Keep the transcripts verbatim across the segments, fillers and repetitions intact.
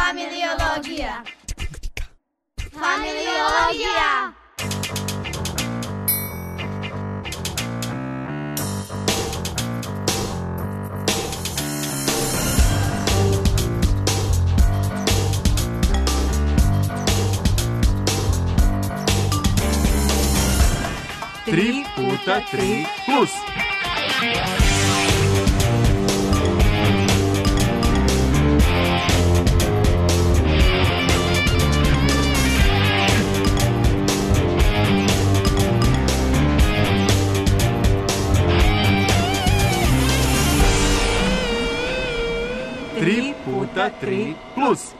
Familiologija. Familiologija. Tri puta tri plus. Tri puta tri plus.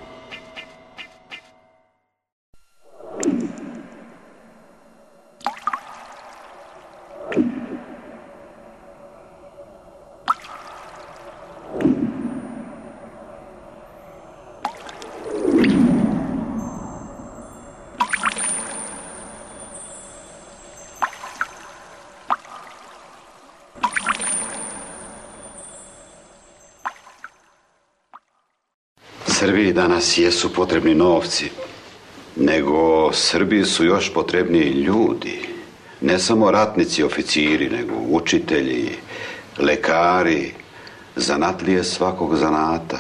Srbiji danas jesu potrebni novci, nego Srbiji su još potrebniji ljudi. Ne samo ratnici, oficiri, nego učitelji, lekari, zanatlije svakog zanata.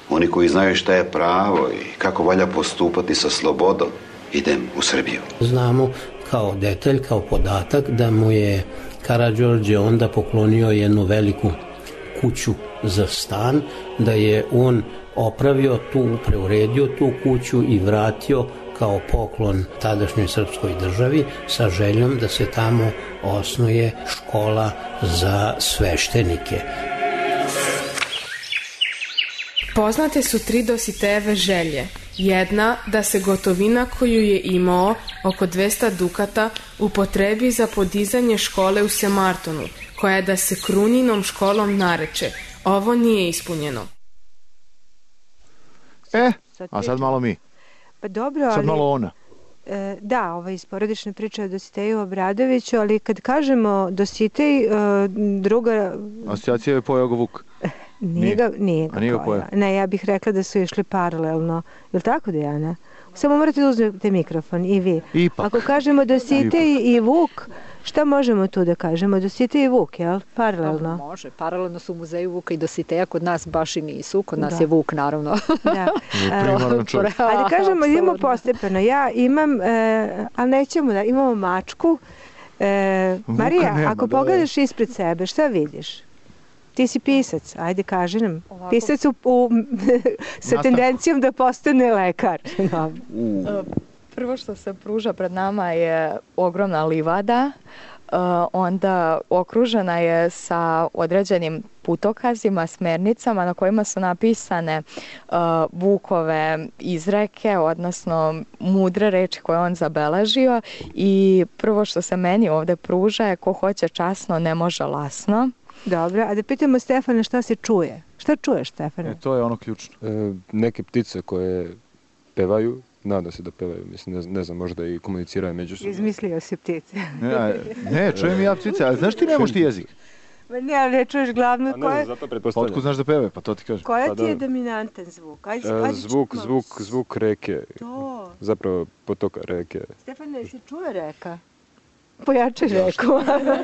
Oni koji znaju šta je pravo i kako valja postupati sa slobodom. Idem u Srbiju. Znamo kao detalj, kao podatak da mu je Karađorđe onda poklonio jednu veliku kuću za stan, da je on opravio tu, preuredio tu kuću i vratio kao poklon tadašnjoj srpskoj državi sa željom da se tamo osnuje škola za sveštenike. Poznate su tri Dositejeve želje. Jedna, da se gotovina koju je imao, oko dvesta dukata, upotrebi za podizanje škole u Semartonu, koja da se Kruninom školom nareče. Ovo nije ispunjeno. E, a sad malo mi. Pa dobro, ali... Sad malo ona. E, da, ova iz porodične priče o Dositeju Obradoviću, ali kad kažemo Dositej, e, druga... Asocijacija je pojao ga Vuk. Nije ga, nije ga nije ga pojao. Ne, ja bih rekla da su išli paralelno. Je li tako, Dejana? Samo morate da uzmete mikrofon, i vi. Ipak. Ako kažemo Dositej Ipak. i Vuk, šta možemo tu da kažemo? Dositej i Vuk, jel? Paralelno. No, može, paralelno su u muzeju Vuka i Dositeja, kod nas baš i nisu, kod nas da. je Vuk, naravno. Da. Ajde kažemo, idemo postepeno. Ja imam, e, ali nećemo da, imamo mačku. E, Marija, nema, ako da pogledaš ispred sebe, šta vidiš? Ti si pisac, ajde kaži nam. Ovako. Pisac u, u, sa tendencijom da postane lekar. No. Prvo što se pruža pred nama je ogromna livada, onda okružena je sa određenim putokazima, smernicama na kojima su napisane Vukove izreke, odnosno mudre reči koje on zabeležio, i prvo što se meni ovde pruža je ko hoće časno ne može lasno. Dobro, a da pitamo Stefana šta se čuje. Šta čuješ, Stefane? E, to je ono ključno. E, neke ptice koje pevaju, nadam se da pevaju, mislim, ne, ne znam, možda i komuniciraju međusobno. Izmislio si ptice. Ne, ne, čujem i ja ptice, ali znaš ti nemoš ti jezik? Ma ne, ali ne čuješ glavno koje... Ne znam, zato pretpostavljam. Otkud znaš da pevaju, pa to ti kažem. Koja pa ti je dominantan zvuk? Ajde, e, zvuk, zvuk, zvuk reke. To. Zapravo potoka reke. Stefane, se čuje reka? Pojačaj reku.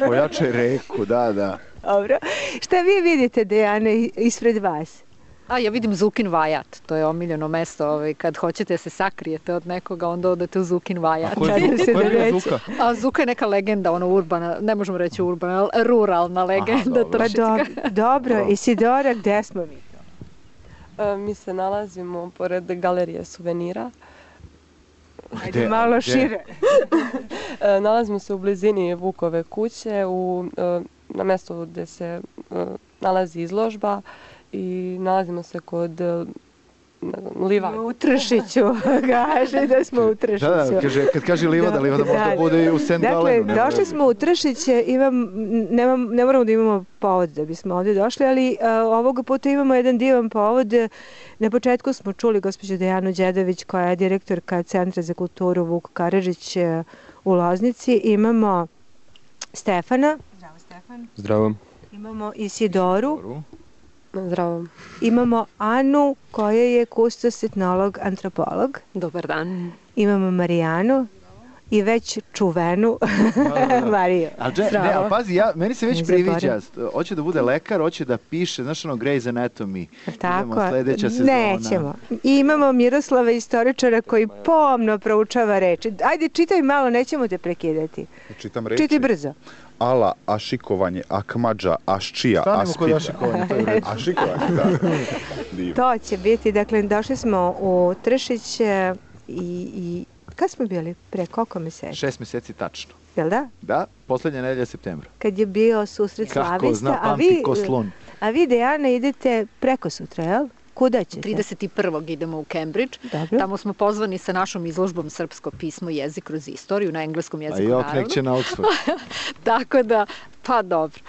Pojačaj reku, da, da. Dobro. Šta vi vidite, Dejane, ispred vas? A ja vidim Zukin Vajat, to je omiljeno mesto, ovaj, kad hoćete se sakrijete od nekoga, onda odete u Zukin Vajat. A ko je, se ko je Zuka? A Zuka je neka legenda, ono urbana, ne možemo reći urbana, ruralna legenda. Aha, dobro. Pa dobro, dobro. Isidora, gde smo mi? E, mi se nalazimo pored galerije suvenira. Ajde gde, malo gde? Šire. e, nalazimo se u blizini Vukove kuće, u, e, na mjestu gde se e, nalazi izložba, i nalazimo se kod, ne znam, livada. U Tršiću, kaže da smo u Tršiću. Da, da, kaže, kad kaže livada, livada možda da, bude i u Saint Galenu. Dakle, došli smo u Tršiće, imam, nemam, ne moramo da imamo povod da bismo ovdje došli, ali a, ovoga puta imamo jedan divan povod. Na početku smo čuli gospođu Dejanu Đedović, koja je direktorka Centra za kulturu Vuk Karadžić u Loznici. Imamo Stefana. Zdravo, Stefan. Zdravo. Imamo Isidoru. Zdravo. Imamo Anu koja je kustos, etnolog, antropolog. Dobar dan. Imamo Marijanu i već čuvenu Mariju. Ali ne, ali pazi, ja, meni se već priviđa. Hoće da bude lekar, hoće da piše, znaš ono, Grey's Anatomy. Tako, sledeća sezona. Nećemo. I imamo Miroslava, istoričara, koji pomno proučava reči. Ajde, čitaj malo, nećemo te prekidati. Čitam reči. Čitaj brzo. Ala, ašikovanje, akmađa, aščija, Stanemo aspida. kod ašikovanja, to je u redu. Ašikovanje, da. Divno. To će biti, dakle, došli smo u Tršić i, i kad smo bili? Pre koliko meseci? Šest meseci tačno. Jel da? Da, poslednja nedelja septembra. Kad je bio susret Slavista. Kako zna, pamti ko slon. A vi, Dejana, idete preko sutra, jel? Kuda ćete? trideset prvog idemo u Cambridge. Dobro. Tamo smo pozvani sa našom izložbom Srpsko pismo i jezik kroz istoriju na engleskom jeziku, naravno. A naravno. jok, nek će na Oxford. Tako da, pa dobro,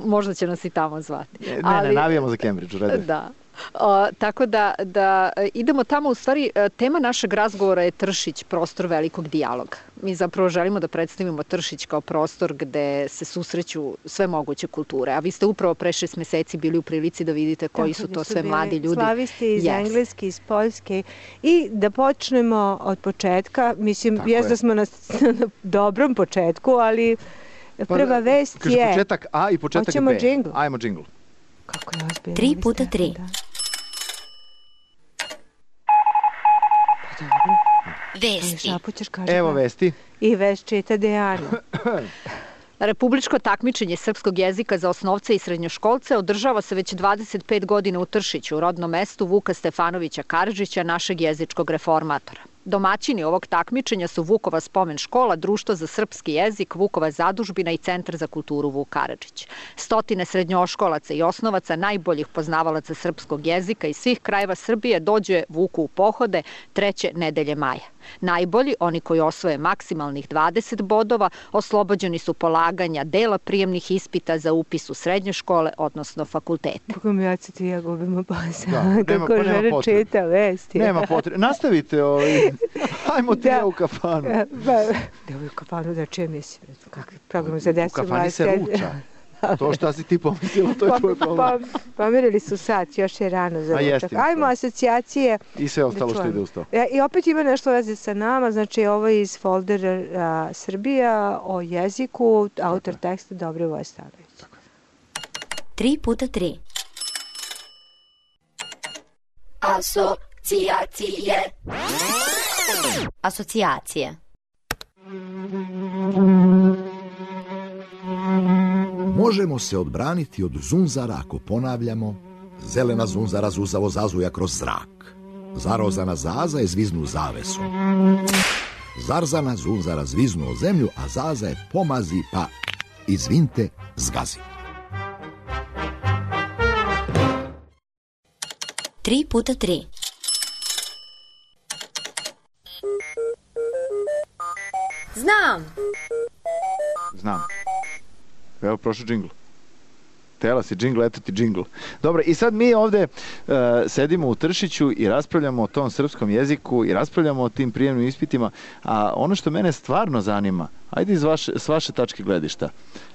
možda će nas i tamo zvati. Ne, Ali, ne, navijamo za Cambridge, u redu. Da. O, tako da, da idemo tamo, u stvari tema našeg razgovora je Tršić, prostor velikog dijaloga. Mi zapravo želimo da predstavimo Tršić kao prostor gde se susreću sve moguće kulture, a vi ste upravo pre šest meseci bili u prilici da vidite koji su to sve mladi ljudi. Slavisti iz Engleske, iz Poljske, i da počnemo od početka, mislim, jes da smo na, na dobrom početku, ali prva vest je... Kaže početak A i početak B. Hoćemo džingl. Ajmo džingl. Kako je ozbiljno. Tri puta tri. Vesti. Evo vesti. I vest čita Dejana. Republičko takmičenje srpskog jezika za osnovce i srednjoškolce održava se već dvadeset pet godina u Tršiću, u rodnom mestu Vuka Stefanovića Karadžića, našeg jezičkog reformatora. Domaćini ovog takmičenja su Vukova spomen škola, Društvo za srpski jezik, Vukova zadužbina i Centar za kulturu Vuk Karadžić. Stotine srednjoškolaca i osnovaca, najboljih poznavalaca srpskog jezika iz svih krajeva Srbije, dođe Vuku u pohode treće nedelje maja. Najbolji, oni koji osvoje maksimalnih dvadeset bodova, oslobođeni su polaganja dela prijemnih ispita za upis u srednje škole, odnosno fakultete. Kako mi oca ti ja gubimo posao, kako žena čita vesti. Nema potrebe. Nastavite ovi. Hajmo ti ja u kafanu. Da u kafanu da čujem mislim. Kakvi program za desu. U kafani se ruča. To šta si ti pomislila, to je tvoj problem. Pomerili su sat, još je rano za ručak. Ajmo asocijacije. I sve ostalo što ide uz to. I opet ima nešto veze sa nama, znači ovo je iz foldera Srbija o jeziku, autor teksta Dobrivoje Stanović. Tri puta tri. Asocijacije. Asocijacije. Možemo se odbraniti od zunzara ako ponavljamo: zelena zunzara zuzavo zazuja kroz zrak, zarozana zaza je zviznu zavesu, zarzana zunzara zviznu o zemlju, a zaza je pomazi pa, izvinte, zgazi. Tri puta tri. Znam. Znam. Evo, prošao džingl. Tela si džingl, eto ti džingl. Dobro, i sad mi ovde uh, sedimo u Tršiću i raspravljamo o tom srpskom jeziku i raspravljamo o tim prijemnim ispitima, a ono što mene stvarno zanima, ajde iz vaše, s vaše tačke gledišta,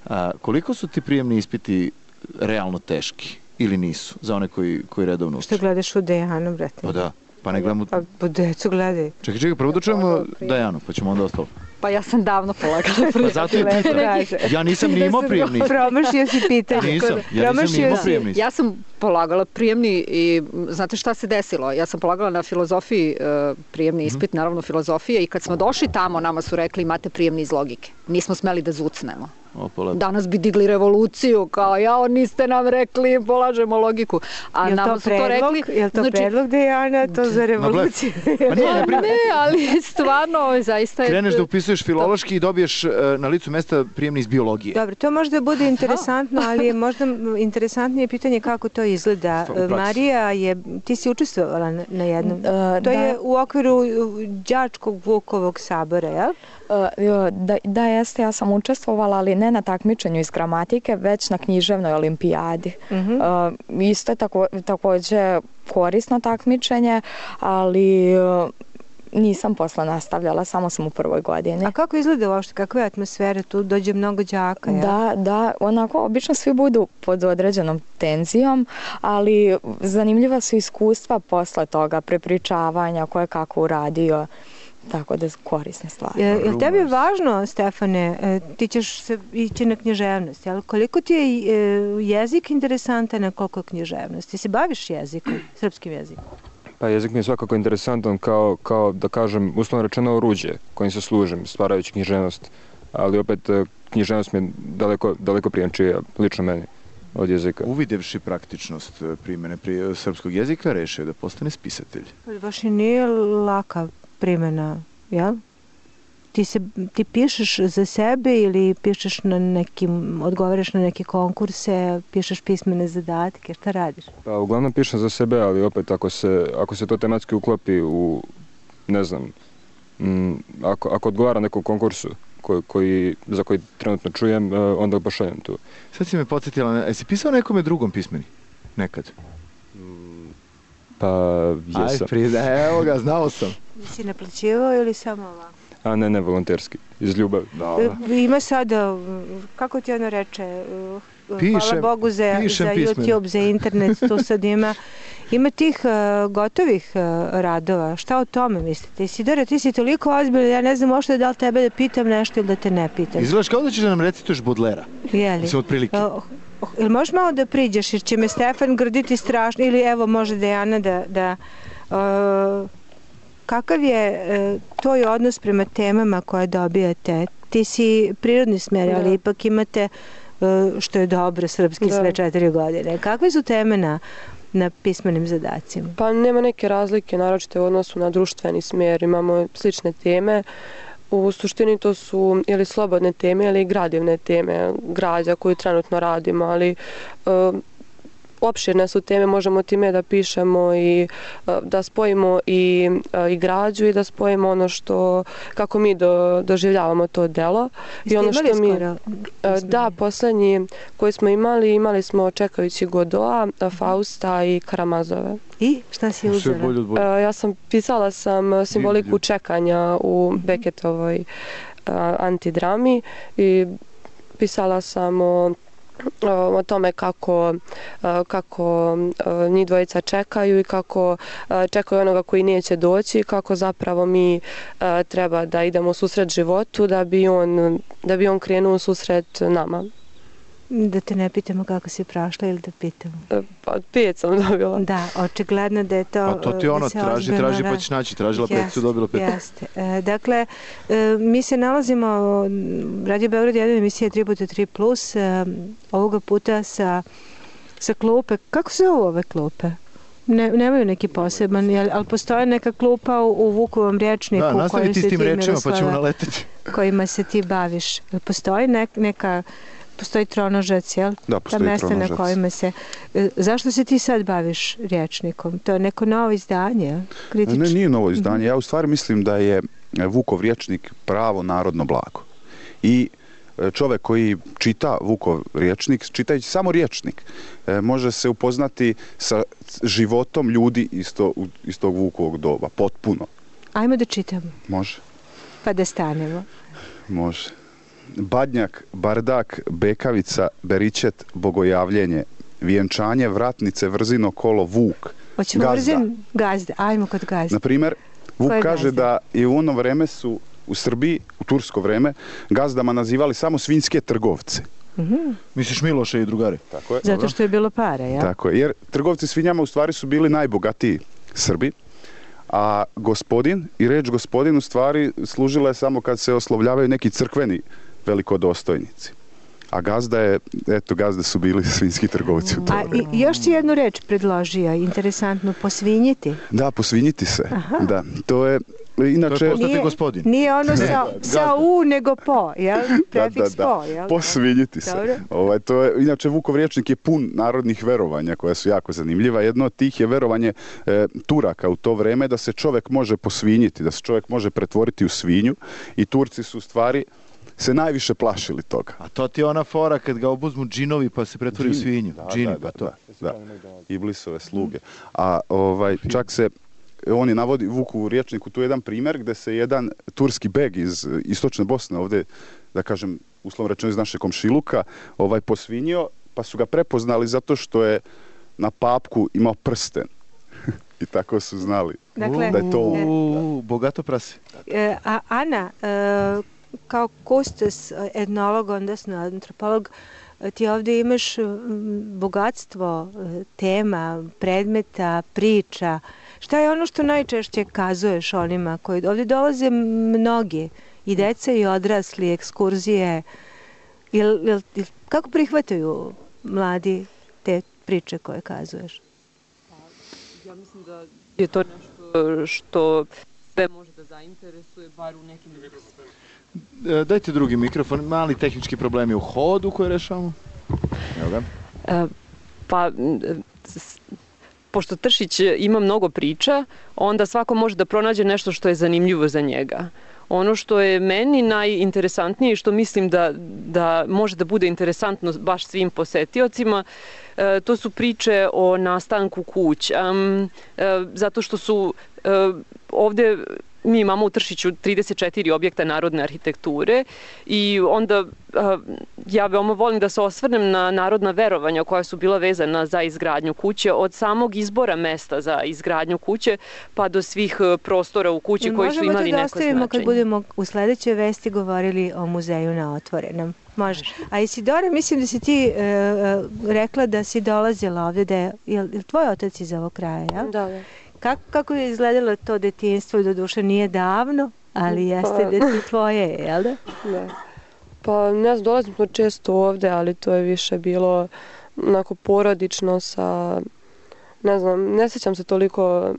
uh, koliko su ti prijemni ispiti realno teški ili nisu, za one koji, koji redovno uče? Što gledaš u Dejanu, brate? Pa da, pa ne gledamo... Pa po decu gledaj. Čekaj, čekaj, prvo da čujemo Dejanu, pa ćemo onda ostalo. Pa ja sam davno polagala prijemni. Pa zato je pitanje. Ja nisam ni imao prijemni. Promašio si pitanje. Nisam, ja nisam ni imao prijemni. Ja sam polagala prijemni i znate šta se desilo? Ja sam polagala na filozofiji prijemni ispit, naravno filozofije, i kad smo došli tamo, nama su rekli imate prijemni iz logike. Nismo smeli da zucnemo. Danas bi digli revoluciju, kao jao, niste nam rekli, polažemo logiku. A nama su to rekli... Je li to predlog Dejana, to za revoluciju? Ne, ali stvarno, zaista je... Kreneš da upisuješ filološki i dobiješ na licu mesta prijemni iz biologije. Dobro, to možda bude interesantno, ali je možda interesantnije pitanje kako to izgleda. Marija, je, ti si učestvovala na jednom. To je u okviru đačkog Vukovog sabora, jel? Da, da jeste, ja sam učestvovala, ali ne na takmičenju iz gramatike, već na književnoj olimpijadi. Uh-huh. Uh, isto je tako, takođe korisno takmičenje, ali uh, nisam posle nastavljala, samo sam u prvoj godini. A kako izgleda uopšte, kakva je atmosfera? Tu dođe mnogo đaka, ja? Da, da, onako, obično svi budu pod određenom tenzijom, ali zanimljiva su iskustva posle toga, prepričavanja, ko je kako uradio, tako da su korisne stvari. Je, je li tebi važno, Stefane, ti ćeš se ići na književnost, jel? Koliko ti je jezik interesantan, a koliko književnost? Ti se baviš jezikom, srpskim jezikom? Pa jezik mi je svakako interesantan kao, kao da kažem, uslovno rečeno oruđe kojim se služim, stvarajući književnost, ali opet književnost mi je daleko, daleko prijemčija, lično meni, od jezika. Uvidevši praktičnost primjene pri srpskog jezika, rešio da postane spisatelj. Baš i nije laka primjena, jel? Ti, se, ti pišeš za sebe ili pišeš na nekim, odgovaraš na neke konkurse, pišeš pismene zadatke, šta radiš? Pa uglavnom pišem za sebe, ali opet ako se, ako se to tematski uklopi u, ne znam, m, ako, ako odgovara nekom konkursu koji, koji, za koji trenutno čujem, onda pošaljem tu. Sad si me podsjetila, jesi pisao nekome drugom pismeni? Nekad? Pa jesam. Aj, pride, evo ga, znao sam. Si naplaćivao ili samo ovako? A ne, ne, volonterski, iz ljubavi. Ima sada, kako ti ono reče, pišem, hvala Bogu za, za YouTube, za internet, tu sad ima, ima tih uh, gotovih uh, radova. Šta o tome mislite? Isidore, ti si toliko ozbiljan, ja ne znam možda da li tebe da pitam nešto ili da te ne pitam. Izgledaš kao da ćeš da nam recituješ Baudelaire. Jeli? Mislim, otprilike. Uh, Ili možeš malo da priđeš, jer će me Stefan grditi strašno, ili evo može Dejana da... da uh, kakav je uh, tvoj odnos prema temama koje dobijate? Ti si prirodni smer, ali ipak imate, uh, što je dobro, srpski da. Sve četiri godine. Kakve su teme na, na pismenim zadacima? Pa nema neke razlike, naročito u odnosu na društveni smer. Imamo slične teme. U suštini to su ili slobodne teme ili gradivne teme, građa koju trenutno radimo, ali uh, opširne su teme, možemo time da pišemo i uh, da spojimo i, uh, i građu i da spojimo ono što, kako mi do, doživljavamo to delo. I ono što mi, skoro? Uh, da, poslednji koji smo imali, imali smo Čekajući Godoa, Fausta i Karamazove. I šta si uzela? Uh, ja sam pisala sam simboliku čekanja u Beketovoj uh, antidrami i pisala sam o o tome kako, kako njih dvojica čekaju i kako čekaju onoga koji neće doći i kako zapravo mi treba da idemo u susret životu da bi on, da bi on krenuo u susret nama. Da te ne pitamo kako si prošla ili da pitamo? Pa pet sam dobila. Da, očigledno da je to... Pa to ti ono, traži, traži pa ćeš naći, tražila pet, su dobila pet. Jeste. E, dakle, e, mi se nalazimo, Radio Beograd jedan emisija tri puta tri plus, e, ovoga puta sa, sa klupe. Kako se zove ove klupe? Ne, nemaju neki poseban, jel, ali postoje neka klupa u, u Vukovom rječniku da, nastavi ti s tim rečima pa ćemo naleteti. Kojima se ti baviš. Postoji nek, neka... Postoji tronožac, jel? Da, postoji ta mesta tronožac. Na kojima se... Zašto se ti sad baviš rječnikom? To je neko novo izdanje, kritično? Ne, nije novo izdanje. Ja u stvari mislim da je Vukov rječnik pravo narodno blago. I čovjek koji čita Vukov rječnik, čitajući samo rječnik, može se upoznati sa životom ljudi iz, to, iz tog Vukovog doba. Potpuno. Ajmo da čitamo. Može. Pa da stanemo. Može. Badnjak, bardak, bekavica, beričet, bogojavljenje, vjenčanje, vratnice, vrzino, kolo, vuk, Hoćemo gazda. Vrzin, gazda. Ajmo kod gazda. Naprimjer, Vuk je kaže gazda? Da i u ono vreme su u Srbiji, u tursko vreme, gazdama nazivali samo svinjske trgovce. Mm-hmm. Misliš Miloša i drugari? Tako je. Zato što je bilo para, ja? Tako je, jer trgovci svinjama u stvari su bili najbogatiji Srbi, a gospodin i reč gospodin u stvari služila je samo kad se oslovljavaju neki crkveni velikodostojnici. A gazda je, eto, gazde su bili svinjski trgovci u to. A i, još si jednu reč predložio, interesantno, posvinjiti. Da, posvinjiti se. Aha. Da, to je inače... To je postati gospodin. Nije ono sa, sa u, nego po, jel? Prefiks da, da, da. po, jel? Posvinjiti se. Ovaj, to je, inače, Vukov rječnik je pun narodnih verovanja koja su jako zanimljiva. Jedno od tih je verovanje e, Turaka u to vreme da se čovjek može posvinjiti, da se čovjek može pretvoriti u svinju i Turci su u stvari se najviše plašili toga. A to ti je ona fora kad ga obuzmu džinovi pa se pretvori Džin. u svinju. Da, Džini, da, pa to. Da, da. Iblisove sluge. A ovaj, čak se on je navodi, Vuk u rječniku, tu je jedan primjer gdje se jedan turski beg iz istočne Bosne, ovdje, da kažem, uslovno rečeno iz naše komšiluka, ovaj posvinio, pa su ga prepoznali zato što je na papku imao prsten. I tako su znali dakle, da je to... U, bogato prase. E, a Ana, e, kao kustos, etnolog, odnosno antropolog, ti ovdje imaš bogatstvo tema, predmeta, priča. Šta je ono što najčešće kazuješ onima koji ovdje dolaze mnogi, i deca i odrasli, ekskurzije? Jel, jel, kako prihvataju mladi te priče koje kazuješ? Ja mislim da je to nešto što sve može da zainteresuje, bar u nekim... Dajte drugi mikrofon, mali tehnički problemi u hodu koje rešavamo. Evo ga. E, pa, pošto Tršić ima mnogo priča, onda svako može da pronađe nešto što je zanimljivo za njega. Ono što je meni najinteresantnije i što mislim da, da može da bude interesantno baš svim posetiocima, e, to su priče o nastanku kuća. E, zato što su e, ovdje... Mi imamo u Tršiću trideset četiri objekta narodne arhitekture i onda ja veoma volim da se osvrnem na narodna verovanja koja su bila vezana za izgradnju kuće, od samog izbora mesta za izgradnju kuće pa do svih prostora u kući koji su imali neko značenje. Možemo to da ostavimo kad budemo u sledećoj vesti govorili o muzeju na otvorenom. Može. A Isidora, mislim da si ti e, rekla da si dolazila ovdje, da je, je, je tvoj otac iz ovog kraja, jel? Da, da. Kako, kako je izgledalo to detinjstvo, do duše nije davno, ali jeste pa, dete tvoje, jel da? Da. Pa ne znam, dolazim smo često ovde, ali to je više bilo onako porodično sa, ne znam, ne sjećam se toliko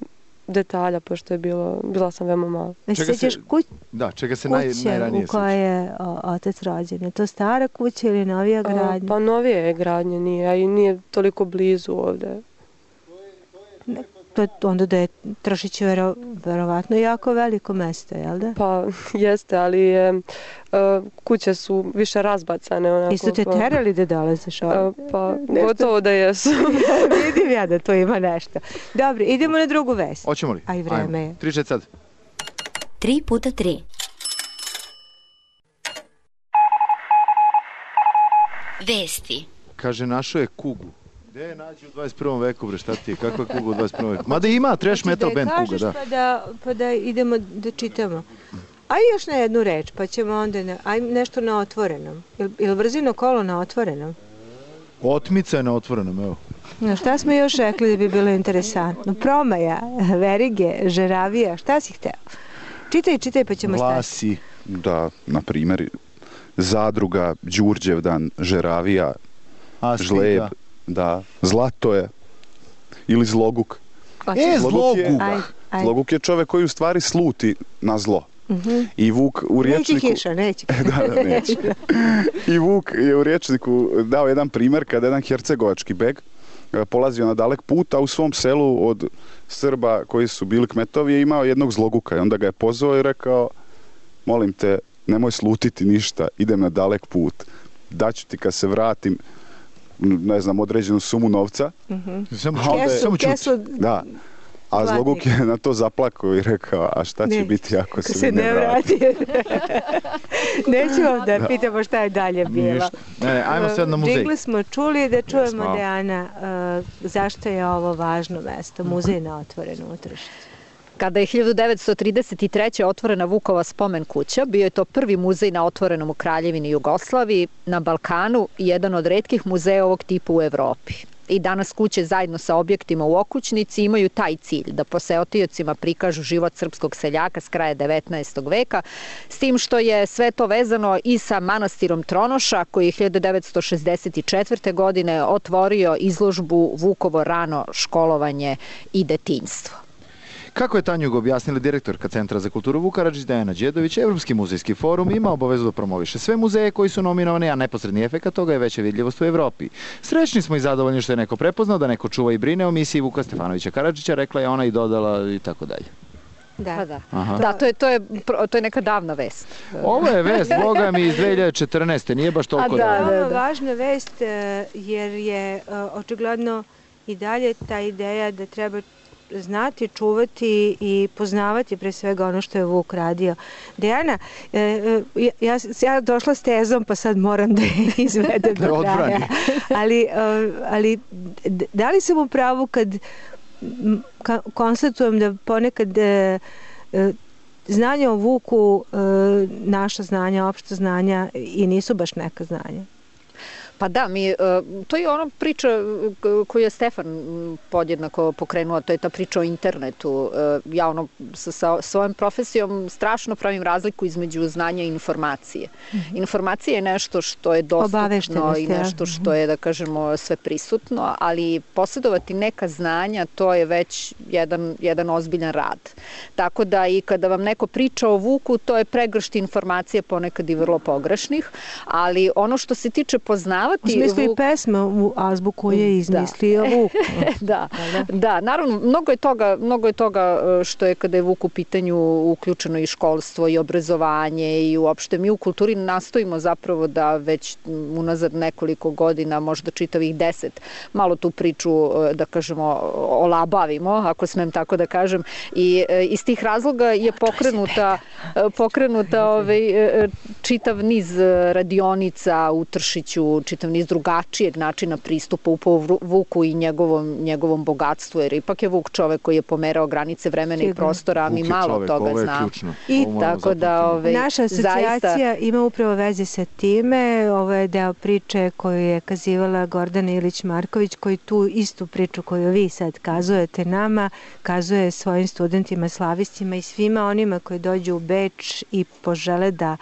detalja, pošto je bilo, bila sam veoma mala. Čega se, kuć, da, čega se naj, najranije kuće u kojoj je o, otac rođen? Je to stara kuća ili novija gradnja? A, pa novija je gradnja, nije, a i nije toliko blizu ovde. Ne. To onda da je Tršić vero, verovatno jako veliko mesto, jel da? Pa jeste, ali je, uh, kuće su više razbacane. Onako, Isto te terali da dolaziš ovdje? Uh, pa nešto? Gotovo da jesu. Vidim ja da to ima nešto. Dobro, idemo na drugu vest. Hoćemo li? A i vreme je. Tri čet sad. Tri puta tri. Vesti. Kaže, našao je kugu. Gde je nađi u dvadeset prvom veku, bre, šta ti je? Kakva je kuga u dvadeset prvom veku? Mada ima trash metal band kuga, da. Pa da, pa da idemo da čitamo. Aj još na jednu reč, pa ćemo onda, na, aj nešto na otvorenom. Ili il brzino kolo na otvorenom? Otmica je na otvorenom, evo. No, šta smo još rekli da bi bilo interesantno? Promaja, verige, žeravija, šta si hteo? Čitaj, čitaj, pa ćemo stati. Vlasi. Da, na primjer, zadruga, Đurđevdan, žeravija, Astika. Žleb. Da, zlato je. Ili zloguk. E, zloguk! Je, zloguk je čovjek koji u stvari sluti na zlo. Uh-huh. I Vuk u rječniku... Neće kiša, neće. da, da, neće. I Vuk je u rječniku dao jedan primjer kada jedan hercegovački beg polazio na dalek put, a u svom selu od Srba koji su bili kmetovi je imao jednog zloguka. I onda ga je pozvao i rekao, molim te, nemoj slutiti ništa, idem na dalek put. Daću ti kad se vratim, ne znam, određenu sumu novca. Uh-huh. Samo, kesu, samo kesu, da. A Zloguk je na to zaplakao i rekao, a šta će ne, biti ako se, se ne vrati? Nećemo da, da pitamo šta je dalje bilo. Ne, ne, ajmo sad na muzej. Džingli smo čuli da čujemo yes, Dejana uh, zašto je ovo važno mesto, muzej na otvorenom u Tršiću. Kada je hiljadu devetsto trideset treće. otvorena Vukova spomen kuća, bio je to prvi muzej na otvorenom u Kraljevini Jugoslaviji, na Balkanu i jedan od retkih muzeja ovog tipa u Evropi. I danas kuće zajedno sa objektima u okućnici imaju taj cilj, da poseotiocima prikažu život srpskog seljaka s kraja devetnaestog veka, s tim što je sve to vezano i sa manastirom Tronoša, koji je hiljadu devetsto šezdeset četvrte. godine otvorio izložbu Vukovo rano školovanje i detinjstvo. Kako je Tanjug objasnila direktorka Centra za kulturu Vuk Karadžić Dejana Đedović, Evropski muzejski forum ima obavezu da promoviše sve muzeje koji su nominovani, a neposredni efekat toga je veća vidljivost u Evropi. Srećni smo i zadovoljni što je neko prepoznao da neko čuva i brine o misiji Vuka Stefanovića Karadžića, rekla je ona i dodala i tako dalje. Da, da. da to, je, to, je, to je neka davna vest. Ovo je vest, boga mi, iz dve hiljade četrnaeste. Nije baš toliko da, davno. Da, da. Važna vest jer je očigledno i dalje ta ideja da treba znati, čuvati i poznavati pre svega ono što je Vuk radio. Dejana, ja, ja došla s tezom pa sad moram da je izvedem do kraja. Ali, ali da li sam u pravu kad konstatujem da ponekad znanja o Vuku, naša znanja, opšta znanja i nisu baš neka znanja? Pa da, mi, to je ona priča koju je Stefan podjednako pokrenuo, to je ta priča o internetu. Ja ono, sa svojom profesijom strašno pravim razliku između znanja i informacije. Mm-hmm. Informacija je nešto što je dostupno i nešto što je, da kažemo, sve prisutno, ali posjedovati neka znanja, to je već jedan, jedan ozbiljan rad. Tako da i kada vam neko priča o Vuku, to je pregršt informacija, ponekad i vrlo pogrešnih, ali ono što se tiče poznavanja U smislu i pesma u azbuku je izmislio Vuk. Da, da, naravno, mnogo je toga, mnogo je toga što je kada je Vuk u pitanju uključeno i školstvo i obrazovanje i uopšte mi u kulturi nastojimo zapravo da već unazad nekoliko godina, možda čitavih deset, malo tu priču, da kažemo, olabavimo, ako smem tako da kažem, i iz tih razloga je pokrenuta, pokrenuta ovaj, čitav niz radionica u Tršiću, čitav niz drugačijeg načina pristupa upravo Vuku i njegovom, njegovom bogatstvu, jer ipak je Vuk čovek koji je pomerao granice vremena i prostora, a mi malo čovek, toga znamo. I tako da ove, naša asocijacija zaista ima upravo veze sa time. Ovo je deo priče koju je kazivala Gordana Ilić-Marković, koji tu istu priču koju vi sad kazujete nama, kazuje svojim studentima, slavistima i svima onima koji dođu u Beč i požele da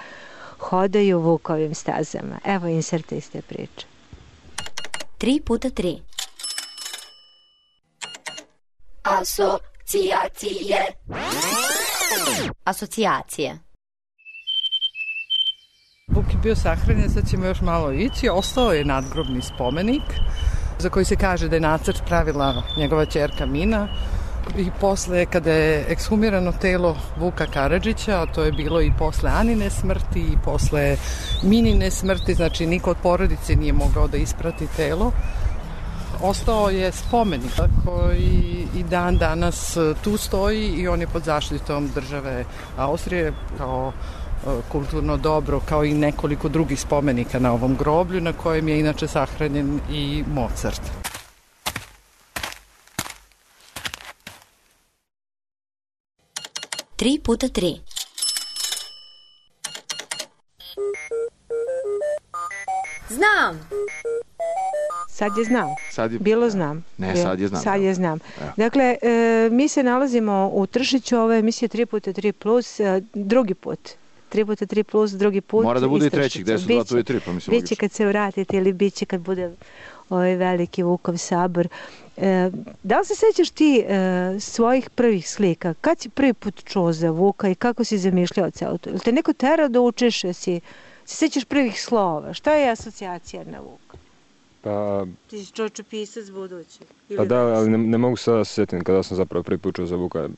hodaju Vukovim stazama. Evo inserta iz te priče. Tri puta tri. Asocijacije. Asocijacije. Vuk je bio sahranjen, sad ćemo još malo ići. Ostao je nadgrobni spomenik za koji se kaže da je nacrt pravila njegova ćerka Mina. I posle, kada je ekshumirano telo Vuka Karadžića, a to je bilo i posle Anine smrti i posle Minine smrti, znači niko od porodice nije mogao da isprati telo, ostao je spomenik koji i dan danas tu stoji i on je pod zaštitom države Austrije kao kulturno dobro, kao i nekoliko drugih spomenika na ovom groblju, na kojem je inače sahranjen i Mozart. Tri puta tri. Znam. Sad je znam. Sad je... Bilo znam. Ne, Bilo. sad je znam. Sad je znam. Evo. Dakle, e, mi se nalazimo u Tršiću, ovo je emisija tri puta tri plus, e, drugi put. tri puta tri plus, drugi put. Mora da bude i treći, gde su dva, tu i tri, pa mislim logično. Biće kad se vratite ili biće kad bude ovaj veliki Vukov sabor. E, da li se sećaš ti e, svojih prvih slika? Kad si prvi put čuo za Vuka i kako si zamišljao celo to? Ili te neko terao da učiš, si, si sećaš prvih slova? Šta je asocijacija na Vuka? Pa... Ti si čočopisac budući. Pa da, ali ne, ne mogu sada se sjetiti kada sam zapravo prvi put čuo za Vuka.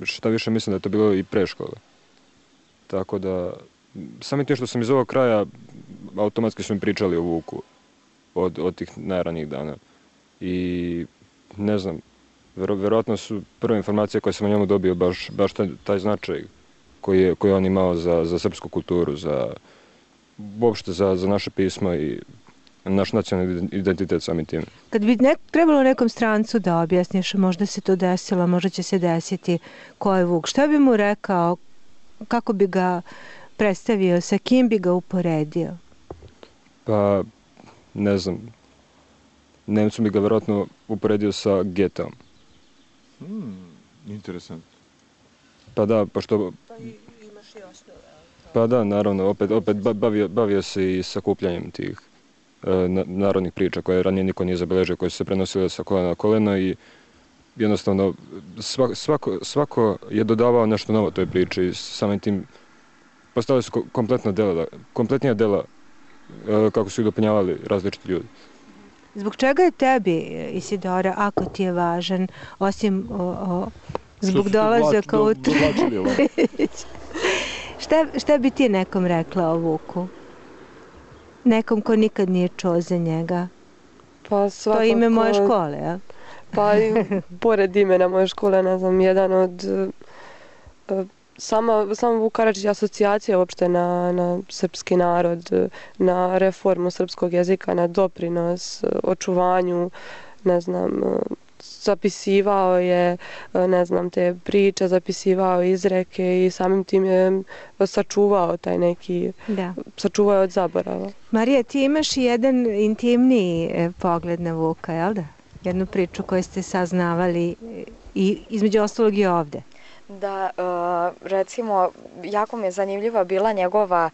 Šta više mislim da je to bilo i pre škole. Tako da, samim tim što sam iz ovog kraja, automatski su mi pričali o Vuku od, od tih najranijih dana. I ne znam, vero, verovatno su prve informacije koje sam o njemu dobio baš, baš taj, taj značaj koji je, koji je on imao za, za srpsku kulturu, za, uopšte za, za naše pismo i naš nacionalni identitet samim tim. Kad bi nek, trebalo nekom strancu da objasniš, možda se to desilo, možda će se desiti ko je Vuk, šta bi mu rekao, kako bi ga predstavio, sa kim bi ga uporedio? Pa, ne znam, Nemcu bi ga verovatno uporedio sa Getom. Hmm, interesant. Pa da, pošto... Pa imaš i osnove. Pa da, naravno, opet, opet bavio, bavio se i sakupljanjem tih e, narodnih priča koje ranije niko nije zabeležio, koje su se prenosile sa kolena na koleno i jednostavno svako, svako, svako je dodavao nešto novo toj priči i samim tim postavili su kompletna dela, kompletnija dela e, kako su ih dopunjavali različiti ljudi. Zbog čega je tebi, Isidora, ako ti je važan, osim o, o, zbog dolazaka u Tršić? šta, šta bi ti nekom rekla o Vuku? Nekom ko nikad nije čuo za njega? Pa svakako... To je ime moje škole, ja? Pa i pored imena moje škole, ne znam, jedan od... Sama, sama Vuk Karadžić je asocijacija uopšte na, na srpski narod, na reformu srpskog jezika, na doprinos očuvanju, ne znam, zapisivao je, ne znam, te priče, zapisivao izreke i samim tim je sačuvao taj neki, da. sačuvao je od zaborava. Marija, ti imaš jedan intimniji pogled na Vuka, jel da? Jednu priču koju ste saznavali i između ostalog i ovde. Da, recimo, jako mi je zanimljiva bila njegova,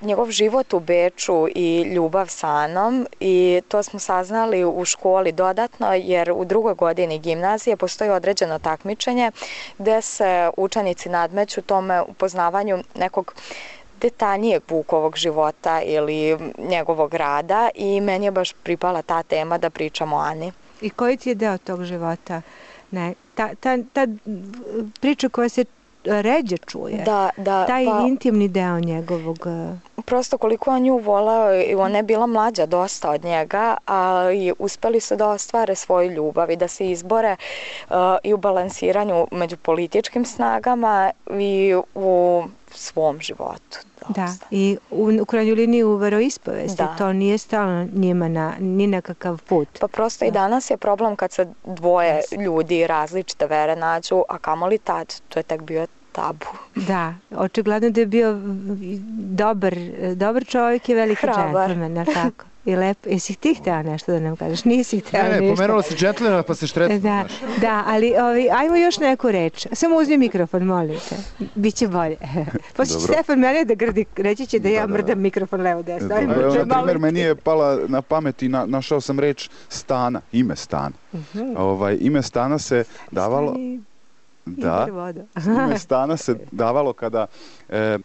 njegov život u Beču i ljubav sa Anom i to smo saznali u školi dodatno jer u drugoj godini gimnazije postoji određeno takmičenje gde se učenici nadmeću tome upoznavanju nekog detaljnijeg Vukovog života ili njegovog rada i meni je baš pripala ta tema da pričamo o Ani. I koji ti je deo tog života? Ne, ta, ta, ta priča koja se ređe čuje, da, da, taj pa, intimni deo njegovog... Prosto koliko on nju volao, ona je bila mlađa dosta od njega, ali uspeli su da ostvare svoju ljubav i da se izbore uh, i u balansiranju među političkim snagama i u svom životu. Da, i u, u krajnjoj liniji u veroispovesti, to nije stalo njima na, ni na kakav put. Pa prosto da. I danas je problem kad se dvoje ljudi različite vere nađu, a kamoli tad, to je tek bio tabu. Da, očigledno da je bio dobar, dobar čovjek i veliki džentlmen, je tako? I lepo. Jesi ti htjela nešto da nam kažeš? Nisi htjela ništa. Ne, ne, pomenula si džentlmena pa se štretno. Da, da, ali ovi, ajmo još neku reč. Samo uzmi mikrofon, molim te. Biće bolje. Pošto Stefan mene da grdi, reći će da ja da, mrdam da. mikrofon levo desno. Na primjer, meni je pala na pamet i na, našao sam reč Stana, ime Stana. Uh-huh. ovaj, ime Stana se davalo... Da, ime Stana se davalo kada e,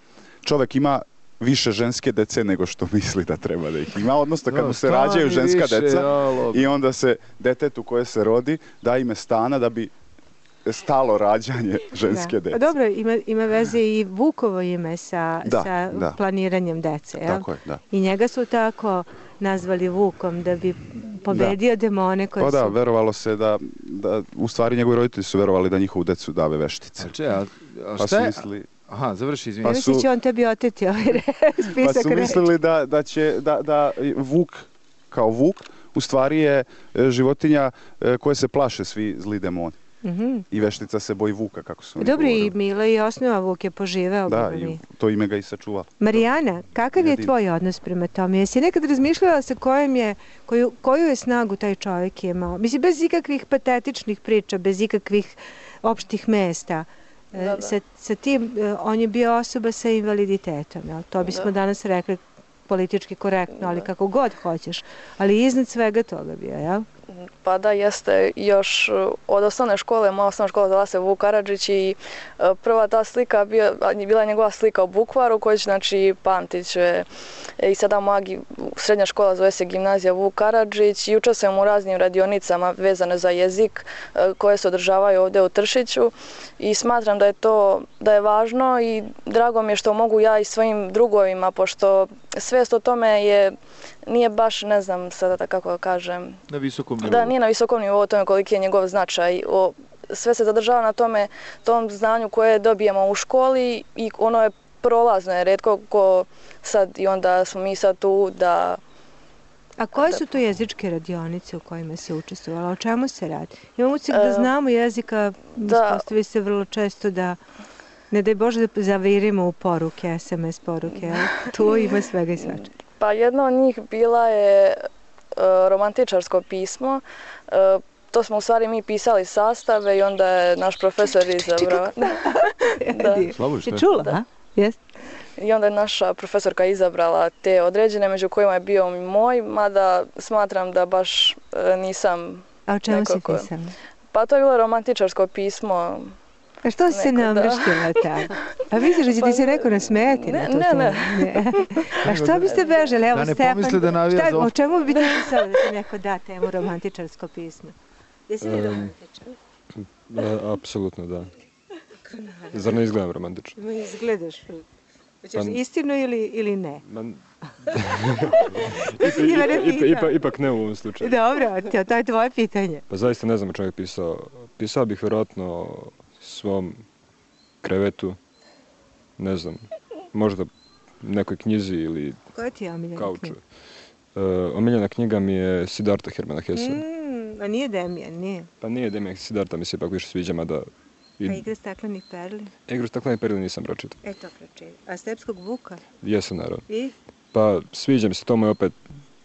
čovjek ima više ženske dece nego što misli da treba da ih ima, odnosno kad mu se rađaju ženska više, deca ja, i onda se detetu koje se rodi da ime Stana da bi stalo rađanje ženske da. dece. Dobro, ima, ima veze i Vukovo ime sa, da, sa da. planiranjem dece, jel? Tako je, da. I njega su tako nazvali Vukom da bi pobedio da. demone koje pa su... Pa da, verovalo se da, da, u stvari njegovi roditelji su verovali da njihovu decu dave veštice. A če, a, a pa šta je? Mislili... Aha, završi, izvini. Pa su... Misli će on tebi oteti ovaj spisak. Pa su mislili da, da će, da, da Vuk, kao Vuk, u stvari je životinja koje se plaše svi zli demoni. Mm-hmm. I veštica se boji Vuka, kako su oni Dobro, govorili. I Milo i osnova Vuk je poživeo. Da, i to ime ga i sačuvalo. Marijana, kakav je tvoj odnos prema tome? Jesi nekad razmišljala sa kojim je, koju, koju je snagu taj čovjek imao? Mislim, bez ikakvih patetičnih priča, bez ikakvih opštih mesta. Da, da. Sa, sa tim, on je bio osoba sa invaliditetom. Jel? To bismo da. danas rekli politički korektno, ali da. kako god hoćeš. Ali iznad svega toga bio, jel? Pa da, jeste još od osnovne škole, moja osnovna škola zvala se Vuk Karadžić i prva ta slika bio, bila je njegova slika u bukvaru koju će, znači, pamtit će. I sada moja srednja škola zove se Gimnazija Vuk Karadžić i učestvujem u raznim radionicama vezane za jezik koje se održavaju ovdje u Tršiću i smatram da je to da je važno i drago mi je što mogu ja i svojim drugovima, pošto svijest o tome je nije baš, ne znam sada da kako da kažem, na visokom nivou. Da, nije na visokom nivou o tome koliki je njegov značaj. O, sve se zadržava na tome, tom znanju koje dobijemo u školi i ono je prolazno, je retko ko sad i onda smo mi sad tu da... A koje su to jezičke radionice u kojima se učestvovala? O čemu se radi? Imamo se da znamo jezika, ispostavi se vrlo često da ne daj Bože da zavirimo u poruke, es em es poruke, ali tu ima svega i svačega. Pa jedna od njih bila je uh, romantičarsko pismo. Uh, to smo u stvari mi pisali sastave i onda je naš profesor izabrao. Da. Si čula? Da. Yes. I onda je naša profesorka izabrala te određene, među kojima je bio i moj, mada smatram da baš uh, nisam... A o čemu nekako... si pisala? Pa to je bilo romantičarsko pismo. A što si se namrštila tako? A misliš da će ti se neko nasmejati na to? Ne, ne, ne. A što biste bežali? Evo, da ne Stefan, pomisli da navija za... O čemu bi ti pisala da ti neko da temu romantičarsko pismo? Jesi li romantičar? Apsolutno, da. Zar ne izgledam romantično? Ma izgledaš. Hoćeš istinu ili, ili ne? Man... ipak, ipak, ipak, ipak ne u ovom slučaju. Dobro, to je tvoje pitanje. Pa zaista ne znam o čemu je pisao. Pisao bih vjerojatno svom krevetu, ne znam, možda nekoj knjizi ili koja ti je omiljena kauču. knjiga? Uh, omiljena knjiga mi je Siddhartha Hermana Hesse. Mm, a nije Demijan, nije? Pa nije Demijan, Siddhartha mi se ipak više sviđa, mada... I... A Igre staklenih perli? Igru staklenih perli nisam pročitao. E, to pročitao. A Stepskog vuka? Jesam, naravno. I? Pa sviđa mi se, to mu je opet,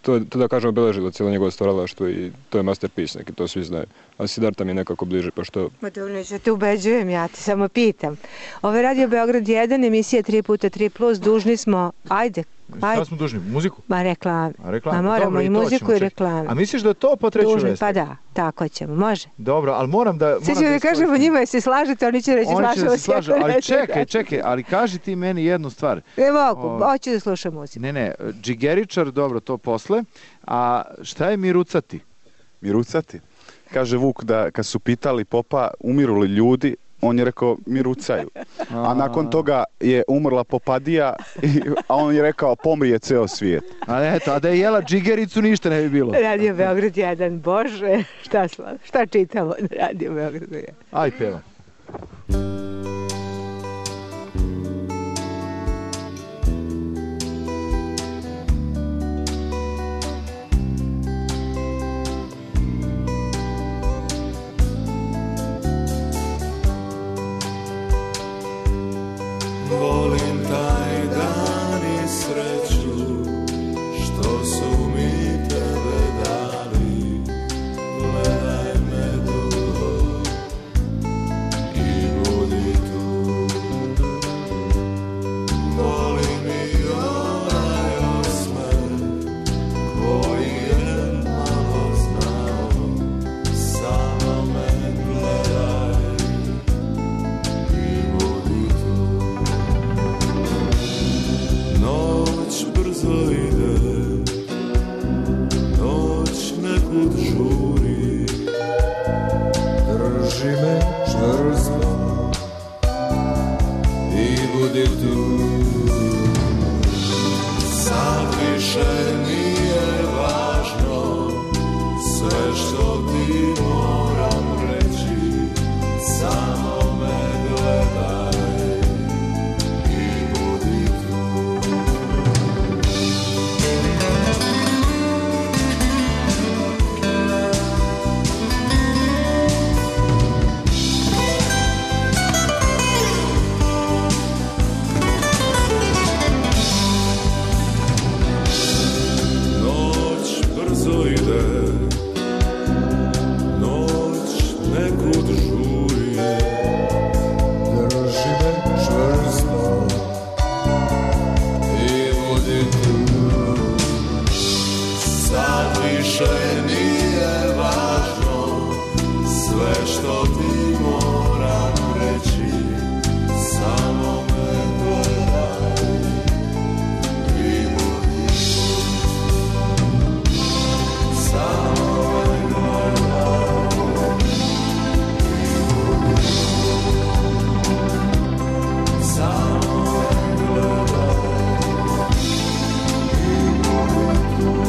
to, to da kažem obeležilo cijelo njegovo stvaralaštvo i to je masterpiece neki, to svi znaju. A Siddhartha mi je nekako bliže, pa što... Ma to neću te ubeđujem, ja ti samo pitam. Ovo je Radio Beograd jedan, emisija tri puta tri plus, dužni smo, ajde, ajde. Šta smo dužni? Muziku? Ma reklame. A reklame. Ma moramo Dobro, i muziku i reklame. A misliš da to po treću vesti? Pa da, tako ćemo, može. Dobro, ali moram da... Sve ćemo da kažemo njima, se slažete, oni će reći slažemo se. Slažu, ali čekaj, čekaj, ali kaži ti meni jednu stvar. Ne mogu, hoću da slušam muziku. Ne, ne, džigeričar, dobro, to posle. A šta je mirucati? Mirucati? Kaže Vuk da kad su pitali popa umiru li ljudi, on je rekao mirucaju. A nakon toga je umrla Popadija, a on je rekao pomrije ceo svijet. A eto, a da je jela džigericu ništa ne bi bilo. Radio Beograd jedan, bože, šta, šta čitamo na Radio Beogradu jedan? Aj, pevam. Volim taj dan i sreću što su mi tebe dali. Gledaj me dugo i budi tu. Volim i onaj osmeh koji je malo znao. Samo me gledaj i budi tu. Noć brzo ide, noć nekud žuri, drži me čvrsto i budi tu. Sad više nije važno sve što ti moram reći, samo me gledaj i budi tu. Noć brzo ide, noć nekud žuri, drži me čvrsto i budi tu. Sad više nije važno sve što ti moram reći, samo me gledaj i budi tu. Samo me gledaj i budi tu. Samo me gledaj i budi tu.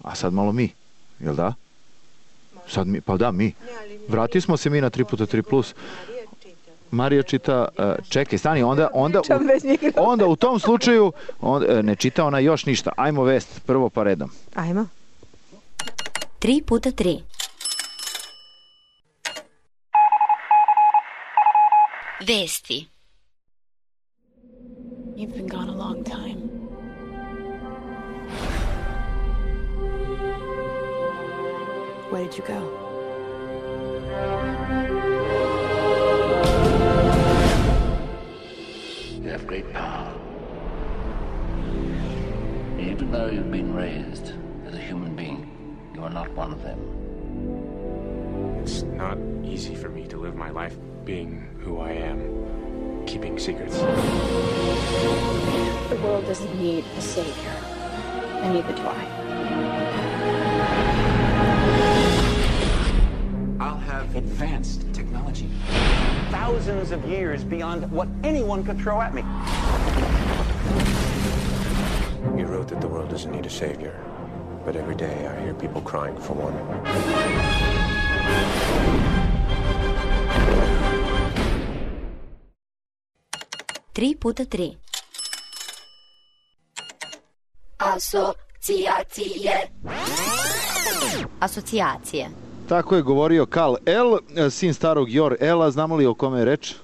A sad malo mi, jel da? Sad mi, pa da, mi. Vratili smo se mi na tri puta tri plus. Marija čita, uh, čekaj, stani, onda, onda, u, onda u tom slučaju on, uh, ne čita ona još ništa. Ajmo vest, prvo pa redom. Ajmo. tri puta tri. Vesti. You've been gone a long time. Where did you go? Even though you've been raised as a human being, you are not one of them. It's not easy for me to live my life being who I am, keeping secrets. The world doesn't need a savior, and neither do I. I'll have advanced technology. Thousands of years beyond what anyone could throw at me. You wrote that the world doesn't need a savior, but every day I hear people crying for one. Tri puta tri. Asocijacije. Asocijacije. Tako je govorio Kal El, sin starog Jor Ela. Znamo li o kome je reč?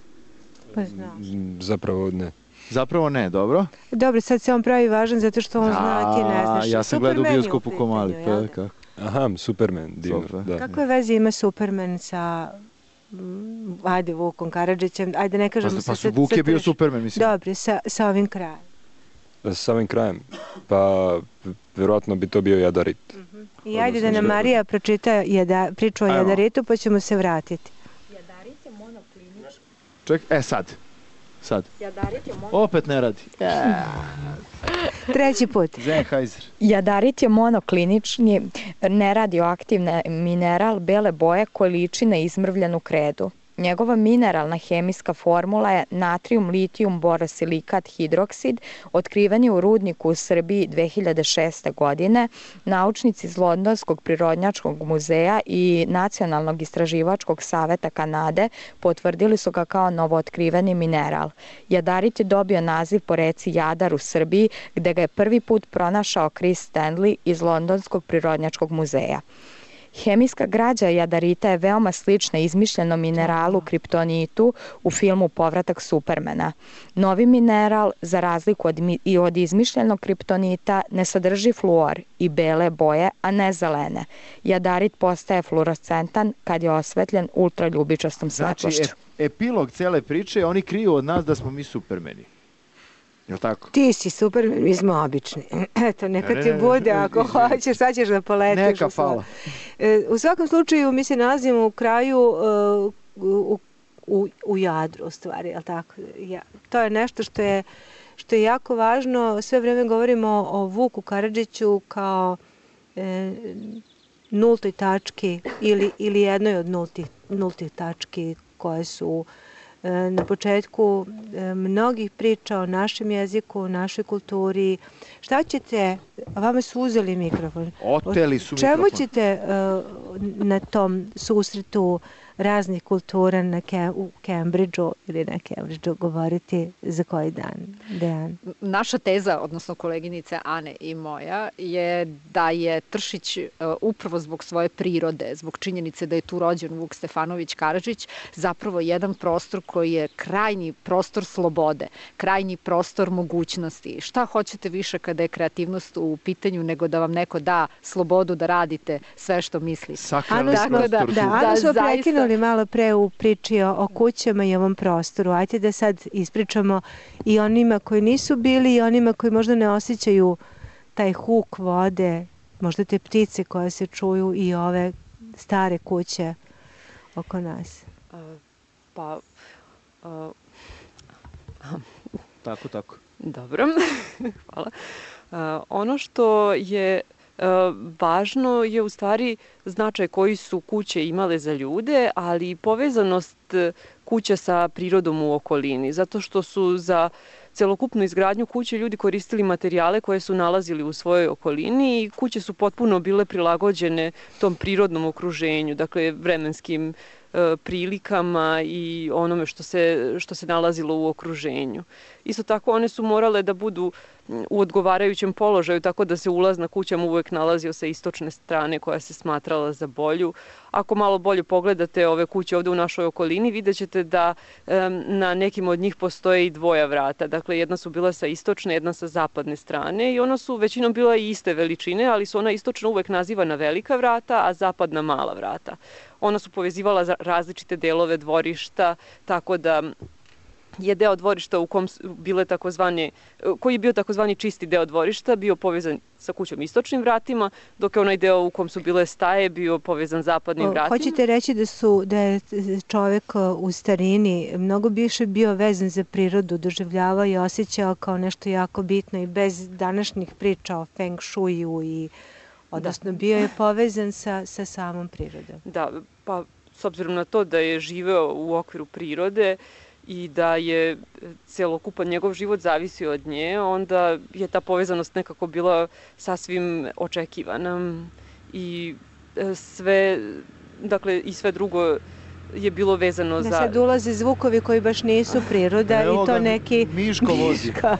Pa znam. Zapravo ne. Zapravo ne, dobro. Dobro, sad se on pravi važan zato što on zna, a ti ne znaš. Ja sam gledao u bioskopu ko mali. Pa, kako? Aha, Superman. Divno, da. Kakve veze ima Superman sa... Ajde, Vukom Karadžićem, ajde ne kažemo... Pa, pa su, Vuk je bio Superman, mislim. Dobro, sa, sa ovim krajem. Sa ovim krajem? Pa, vjerojatno bi to bio Jadarit. Uh-huh. I ajde da nam Marija pročita jada, priču o Ajmo. Jadaritu, pa ćemo se vratiti. Jadarit je monoklinični. Ček, e sad. Sad. Jadarit je monoklinični. Opet ne radi. Treći put. Sennheiser. Jadarit je monoklinični, neradioaktivni mineral bele boje koji liči na izmrvljenu kredu. Njegova mineralna hemijska formula je natrijum, litijum, borosilikat, hidroksid. Otkriven je u rudniku u Srbiji dve hiljade šeste. godine. Naučnici iz Londonskog prirodnjačkog muzeja i Nacionalnog istraživačkog saveta Kanade potvrdili su ga kao novootkriveni mineral. Jadarit je dobio naziv po reci Jadar u Srbiji, gde ga je prvi put pronašao Chris Stanley iz Londonskog prirodnjačkog muzeja. Hemijska građa jadarita je veoma slična izmišljenom mineralu kriptonitu u filmu Povratak Supermana. Novi mineral, za razliku od, i od izmišljenog kriptonita, ne sadrži fluor i bele boje, a ne zelene. Jadarit postaje fluorescentan kad je osvetljen ultraljubičastom svetlošću. Znači, epilog cele priče, oni kriju od nas da smo mi Supermeni. Jel' tako? Ti si Superman, mi smo obični. Eto, neka ne, ne, ti bude, ako ne, hoćeš, sad ćeš da poletiš. Neka, hvala. U svakom slučaju, mi se nalazimo u kraju, uh, u, u, u Jadru, u stvari, jel' tako? Ja, to je nešto što je, što je jako važno. Sve vreme govorimo o Vuku Karadžiću kao e, nultoj tački ili, ili jednoj od nultih, nultih tački koje su na početku mnogih priča o našem jeziku, o našoj kulturi. Šta ćete, vama su uzeli mikrofon. Oteli su mikrofon. Čemu ćete na tom susretu raznih kultura na Kem, u Cambridgeu ili na Cambridgeu govoriti za koji dan? Dejan? Naša teza, odnosno koleginice Ane i moja, je da je Tršić upravo zbog svoje prirode, zbog činjenice da je tu rođen Vuk Stefanović Karadžić, zapravo jedan prostor koji je krajnji prostor slobode, krajnji prostor mogućnosti. Šta hoćete više kada je kreativnost u pitanju nego da vam neko da slobodu da radite sve što mislite. Sakralni prostor. Da, da, Anu smo prekinuli malo pre u priči o, o kućama i ovom prostoru. Ajde da sad ispričamo i onima koji nisu bili i onima koji možda ne osjećaju taj huk vode, možda te ptice koje se čuju i ove stare kuće oko nas. Uh, pa... Uh, tako, tako. Dobro, hvala. Uh, ono što je važno je u stvari značaj koji su kuće imale za ljude, ali i povezanost kuća sa prirodom u okolini, zato što su za celokupnu izgradnju kuće ljudi koristili materijale koje su nalazili u svojoj okolini i kuće su potpuno bile prilagođene tom prirodnom okruženju, dakle vremenskim e, prilikama i onome što se, što se nalazilo u okruženju. Isto tako one su morale da budu u odgovarajućem položaju, tako da se ulaz na kućama uvek nalazio sa istočne strane koja se smatrala za bolju. Ako malo bolje pogledate ove kuće ovde u našoj okolini, vidjet ćete da um, na nekim od njih postoje i dvoja vrata. Dakle, jedna su bila sa istočne, jedna sa zapadne strane i ona su većinom bila i iste veličine, ali su ona istočna uvek nazivana velika vrata, a zapadna mala vrata. Ona su povezivala različite delove dvorišta, tako da je deo dvorišta u kom su bile takozvane, koji je bio takozvani čisti deo dvorišta, bio povezan sa kućom istočnim vratima, dok je onaj deo u kom su bile staje bio povezan zapadnim vratima. Hoćete reći da su da je čovek u starini mnogo više bio vezan za prirodu, doživljavao i osjećao kao nešto jako bitno i bez današnjih priča o feng shuiju i odnosno da. Bio je povezan sa, sa samom prirodom. Da, pa s obzirom na to da je živeo u okviru prirode i da je celokupan njegov život zavisio od nje, onda je ta povezanost nekako bila sasvim očekivana i sve, dakle i sve drugo je bilo vezano da za... Da sad ulaze zvukovi koji baš nisu priroda. Evo i to neki... Miško vozi. Miško,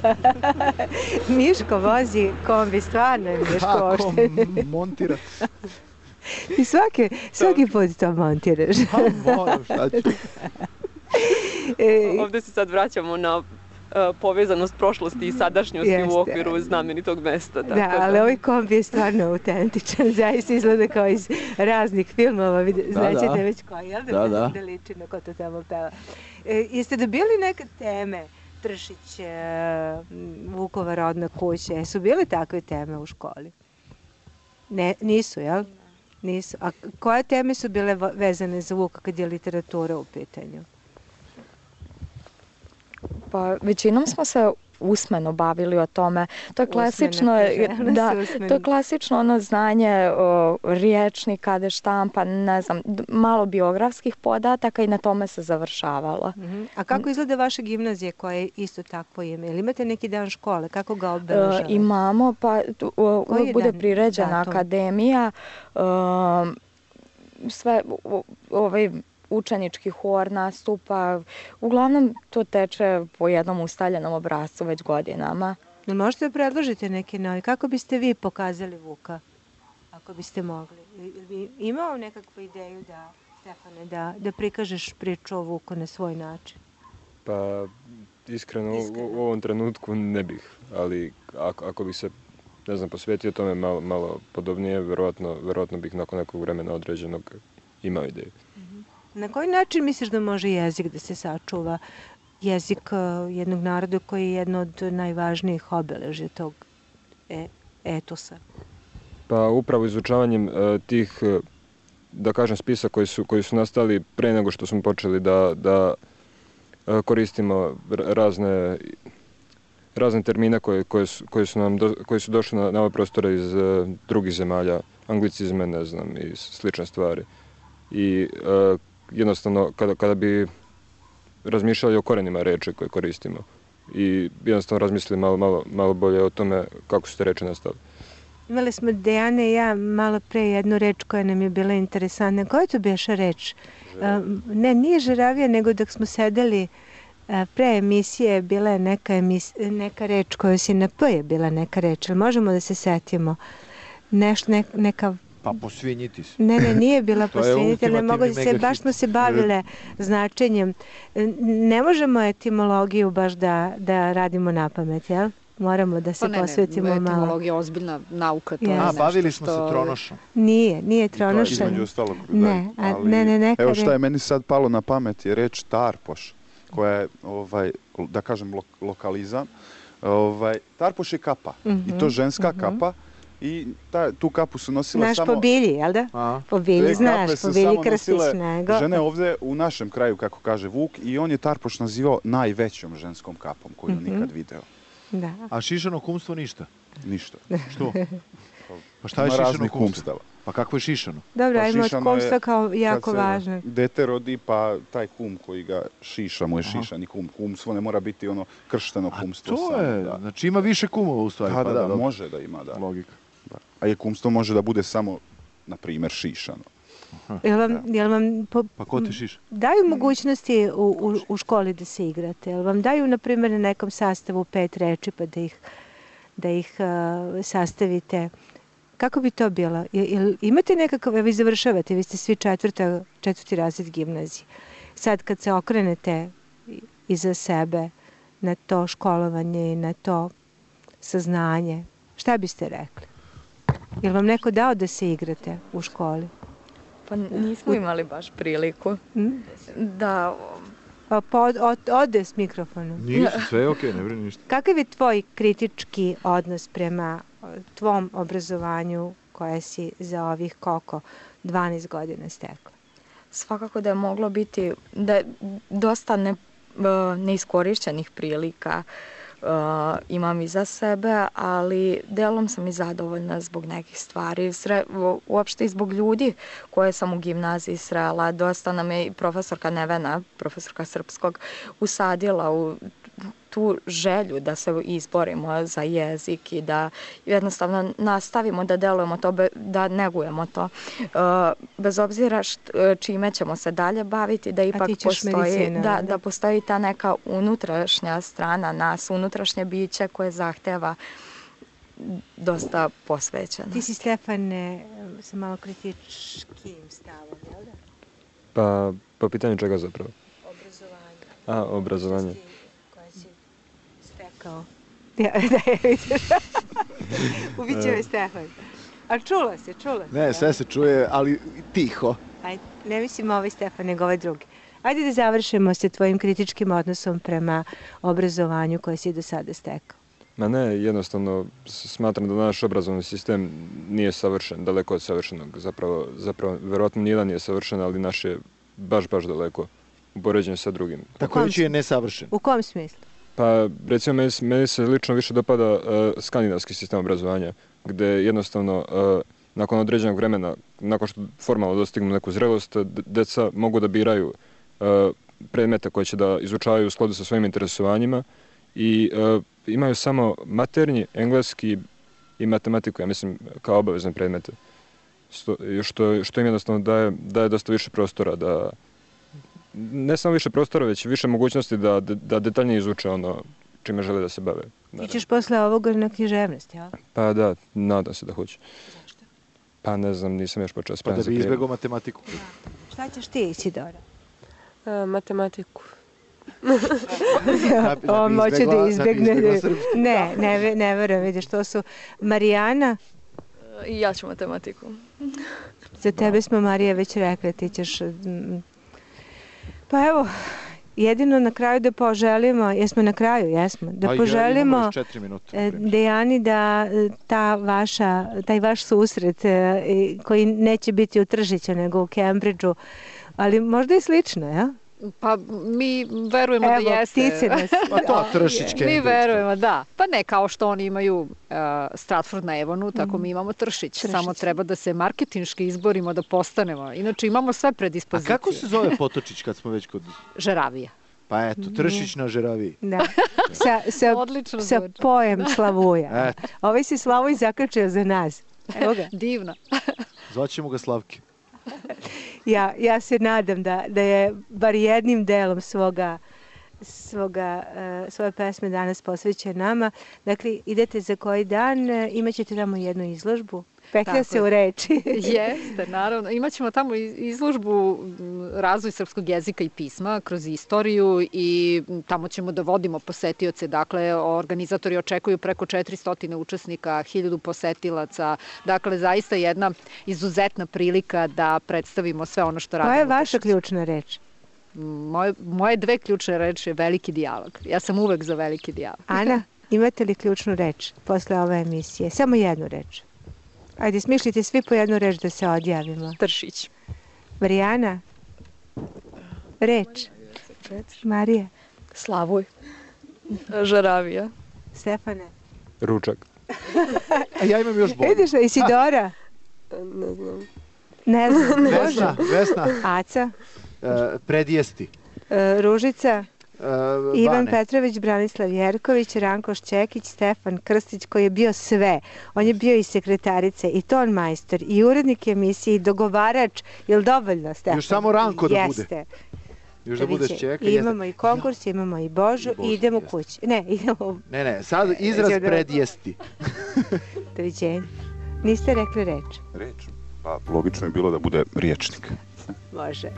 Miško vozi kombi, stvarno je Miško Kako ošte. montira? I svaki, svaki put to montiraš. Pa moram, šta ću. E, Ovde se sad vraćamo na uh, povezanost prošlosti i sadašnjosti jeste. U okviru znamenitog mesta. Tako da, ali da. Ovaj kombi je stvarno autentičan. Zaista izgleda kao iz raznih filmova. Da, Znaćete da. Već koji, jel da? Da, da. Da liči na ko to tamo peva. E, jeste dobili neke teme? Tršić, e, Vukova rodna kuća. Jesu bile takve teme u školi? Ne, nisu, jel? Nisu. A koje teme su bile vezane za Vuka kad je literatura u pitanju? Pa većinom smo se usmeno bavili o tome. To je klasično, da, to je klasično ono znanje o, riječnika, de štampa, ne znam, malo biografskih podataka i na tome se završavalo. Uh-huh. A kako izgleda vaša gimnazija koja je isto takvo ime? Ili imate neki dan škole? Kako ga obeležavate? Uh, imamo, pa tu, uh, bude priređena akademija, uh, sve uh, ovaj učenički hor nastupa, uglavnom to teče po jednom ustaljenom obrascu već godinama. Možete da predložite neke novi? Kako biste vi pokazali Vuka, ako biste mogli? Imao nekakvu ideju da, Stefane, da, da prikažeš priču o Vuku na svoj način? Pa, iskreno, iskreno. U, u ovom trenutku ne bih, ali ako, ako bih se, ne znam, posvetio tome malo, malo podobnije, verovatno, verovatno bih nakon nekog vremena određenog imao ideju. Na koji način misliš da može jezik da se sačuva? Jezik jednog naroda koji je jedno od najvažnijih obeležja tog e, etosa. Pa upravo izučavanjem e, tih, da kažem, spisa koji su, koji su nastali pre nego što smo počeli da, da e, koristimo razne, razne termine koje, koje, su, koje, su nam do, koji su došli na, na ove prostore iz e, drugih zemalja, anglicizme, ne znam, i slične stvari. I e, jednostavno, kada, kada bi razmišljali o korenima reči koje koristimo i jednostavno razmislili malo, malo, malo bolje o tome kako su te reči nastale. Imali smo Dejana i ja malo pre jednu reč koja nam je bila interesantna. Koja je to bješa reč? Um, ne, nije žeravija, nego dok smo sedeli uh, pre emisije bila je neka, emis, neka reč koja si na P je bila neka reč. Ali možemo da se setimo? Neš, ne, neka Pa posvinjiti se. Ne, ne, nije bila posvinjiti, ne mogu se, baš smo se bavile značenjem. Ne možemo etimologiju baš da, da radimo na pamet, jel? Moramo da se pa ne, posvetimo ne, malo. Etimologija je ozbiljna nauka. To yes. je A, nešto bavili smo što... se tronošom. Nije, nije tronošom. Između ostalog. Ne, a, ali, ne, ne, neka evo šta je meni sad palo na pamet je reč tarpoš, koja je, ovaj, da kažem, lo, lokalizam. Ovaj, tarpoš je kapa, mm-hmm, i to ženska mm-hmm. kapa. I ta, tu kapu su nosile Naš samo... Naš po bilji, jel da? A? Po bilji, znaš, po bilji krstiš nego. Žene ovde u našem kraju, kako kaže Vuk, i on je tarpoš nazivao najvećom ženskom kapom koju mm-hmm. nikad video. Da. A šišano kumstvo ništa? Ništa. Što? Pa šta je šišano kumstvo? Pa kako je šišano? Dobro, pa ajmo od kumstva kao jako važno. Dete rodi, pa taj kum koji ga šiša mu je šišani kum. Kumstvo ne mora biti ono kršteno kumstvo. A to samo, je, da. Znači ima više kumova u stvari. Da, pa da, da, da, može da ima, da. Logika. Da. A je kumstvo može da bude samo, na primjer, šišano. Jel vam, jel vam po, pa ko te šiša? Daju mogućnosti u, u, u školi da se igrate? Jel vam daju, na primjer, na nekom sastavu pet reči pa da ih, da ih uh, sastavite? Kako bi to bilo? Jel, imate nekakav, vi završavate, vi ste svi četvrta, četvrti razred gimnazije. Sad kad se okrenete iza sebe na to školovanje i na to saznanje, šta biste rekli? Jel vam neko dao da se igrate u školi? Pa nismo imali baš priliku hmm? da Pod, od, ode s mikrofonom. Ništa, sve je okej, okay, ne brini ništa. Kakav je tvoj kritički odnos prema tvom obrazovanju koje si za ovih koliko dvanaest godina stekla? Svakako da je moglo biti, da je dosta ne, neiskorišćenih prilika uh, imam iza sebe, ali delom sam i zadovoljna zbog nekih stvari, Sre, uopšte i zbog ljudi koje sam u gimnaziji srela. Dosta nam je i profesorka Nevena, profesorka srpskog, usadila u tu želju da se izborimo za jezik i da jednostavno nastavimo da delujemo to, da negujemo to. Bez obzira št, čime ćemo se dalje baviti, da ipak postoji, medicina, da, da postoji ta neka unutrašnja strana nas, unutrašnje biće koje zahteva dosta posvećeno. Ti si, Stefane, sa malo kritičkim stavom, jel da? Pa, po pitanju čega zapravo? Obrazovanje. A, obrazovanje. Kao. Ja, da je vidiš. Ubićeo je Stefan. A čula se, čula se. Ne, sve se čuje, ali tiho. Ajde, ne mislim ovaj Stefan, nego ovaj drugi. Ajde da završimo sa tvojim kritičkim odnosom prema obrazovanju koje si do sada stekao. Ma ne, jednostavno smatram da naš obrazovni sistem nije savršen, daleko od savršenog. Zapravo, zapravo verovatno nijedan nije savršen, ali naš je baš, baš daleko u poređenju sa drugim. Tako reći je nesavršen. U kom smislu? Pa, recimo, meni, meni se lično više dopada uh, skandinavski sistem obrazovanja, gde jednostavno, uh, nakon određenog vremena, nakon što formalno dostignu neku zrelost, deca mogu da biraju uh, predmete koje će da izučavaju u skladu sa svojim interesovanjima i uh, imaju samo maternji, engleski i matematiku, ja mislim, kao obavezne predmete. Što, što, što im jednostavno daje, daje dosta više prostora da ne samo više prostora, već više mogućnosti da, da detaljnije izuče ono čime žele da se bave. Ti ćeš posle ovoga na književnost, jel? Pa da, nadam se da hoću. Zašto? Pa ne znam, nisam još počeo spremati. Pa da bi izbjegao matematiku. Da. Šta ćeš ti, Isidora? E, matematiku. da, da on moće da izbjegne. Da ne, ne, ne verujem, vidiš, to su Marijana. I ja ću matematiku. Za tebe smo, Marija, već rekla, ti ćeš... Pa evo, jedino na kraju da poželimo, jesmo na kraju, jesmo, da pa poželimo minuta, Dejani da ta vaša, taj vaš susret koji neće biti u Tržiću nego u Cambridgeu, ali možda i slično, ja? Pa mi verujemo Evo, da jeste. Ptice nas. Pa to Tršićke. Mi verujemo, da. Pa ne kao što oni imaju uh, Stratford na Evonu, tako mm. mi imamo Tršić. Tršić. Samo treba da se marketinški izborimo da postanemo. Inače imamo sve predispozicije. A kako se zove Potočić kad smo već kod... Žeravija. Pa eto, Tršić na Žeraviji. Da. Sa, sa, sa pojem Slavuja. Eto. Ovaj se Slavuj zakačio za nas. Evo ga. Divno. Zvaćemo ga Slavke. Ja, ja se nadam da, da je bar jednim delom svoga, svoga, uh, svoje pesme danas posvećen nama. Dakle, idete za koji dan, uh, imat ćete tamo jednu izložbu. Petlja se u reči. Jeste, naravno. Imaćemo tamo izložbu razvoj srpskog jezika i pisma kroz istoriju i tamo ćemo da vodimo posetioce. Dakle, organizatori očekuju preko četiristo učesnika, hiljadu posetilaca. Dakle, zaista jedna izuzetna prilika da predstavimo sve ono što radimo. Koja je vaša ključna reč? Moje, moje dve ključne reči je veliki dijalog. Ja sam uvek za veliki dijalog. Ana, imate li ključnu reč posle ove emisije? Samo jednu reč. Ajde, smišljite svi po jednu reč da se odjavimo. Tršić. Marijana? Reč. Marija? Slavuj. Žaravija. Stefane? Ručak. A ja imam još bolje. Vidiš da, Isidora? Ne znam. Ne znam. Vesna, Vesna. Aca? Uh, predjesti. Uh, Ružica? Uh, Ivan Petrović, Branislav Jerković, Ranko Šćekić, Stefan Krstić koji je bio sve. On je bio i sekretarica i ton majstor i urednik emisije i dogovarač. Je li dovoljno, Stefan? Još samo Ranko da bude. Jeste. Još da bude Šćeka. Imamo i konkurs, imamo i Božu i idemo kući. Ne, idemo... Ne, ne, sad izraz predjesti. Doviđenja. Niste rekli reč? Reč? Pa logično je bilo da bude riječnik. Može.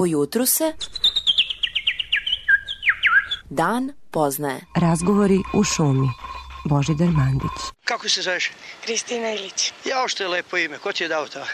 Po jutru se dan poznaje. Razgovori u šumi. Božidar Mandić. Kako se zoveš? Kristina Ilić. Jao, što je lepo ime. Ko ti je dao to?